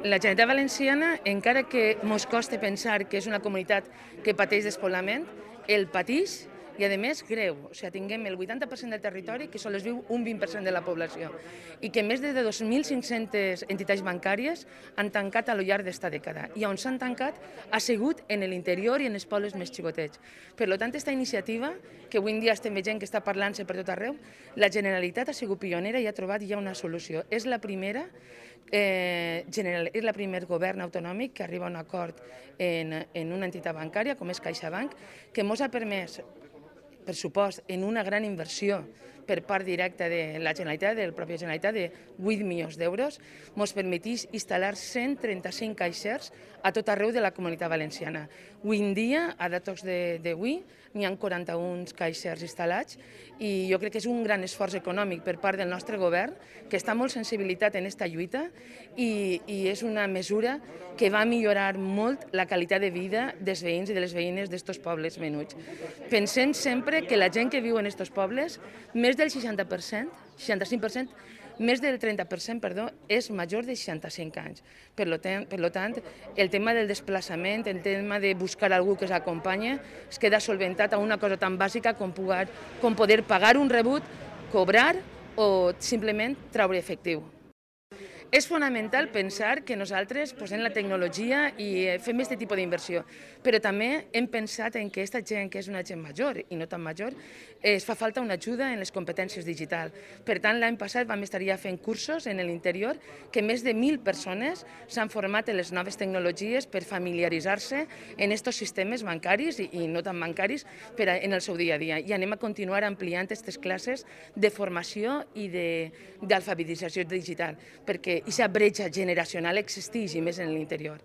La Generalitat Valenciana, encara que mos costa pensar que és una comunitat que pateix despoblament, el pateix i, a més, greu. O sigui, tinguem el 80% del territori que sols viu un 20% de la població i que més de 2.500 entitats bancàries han tancat a lo llarg d'esta dècada. I on s'han tancat ha sigut en l'interior i en els pobles més xicotets. Per tant, aquesta iniciativa, que avui en dia estem veient que està parlant-se per tot arreu, la Generalitat ha sigut pionera i ha trobat ja una solució. És la primera és el primer govern autonòmic que arriba a un acord en una entitat bancària com és CaixaBank, que ens ha permès, per supost, en una gran inversió per part directa de la Generalitat, de la pròpia Generalitat, de 8 milions d'euros, ens permetís instal·lar 135 caixers a tot arreu de la Comunitat Valenciana. Avui en dia, a datos d'avui, n'hi ha 41 caixers instal·lats i jo crec que és un gran esforç econòmic per part del nostre govern, que està molt sensibilitat en aquesta lluita i és una mesura que va millorar molt la qualitat de vida dels veïns i de les veïnes d'estos pobles menuts. Pensem sempre que la gent que viu en estos pobles, més del 60%, 65%, més del 30%, perdó, és major de 65 anys. Per tant, el tema del desplaçament, el tema de buscar algú que s'acompanya, es queda solventat a una cosa tan bàsica com poder pagar un rebut, cobrar o simplement treure efectiu. És fonamental pensar que nosaltres posem la tecnologia i fem aquest tipus d'inversió, però també hem pensat en que aquesta gent, que és una gent major i no tan major, es fa falta una ajuda en les competències digitals. Per tant, l'any passat vam estar ja fent cursos en l'interior que més de 1.000 persones s'han format en les noves tecnologies per familiaritzar-se en aquests sistemes bancaris i no tan bancaris en el seu dia a dia. I anem a continuar ampliant aquestes classes de formació i d'alfabetització digital, perquè aquesta bretxa generacional existeix i més en l'interior.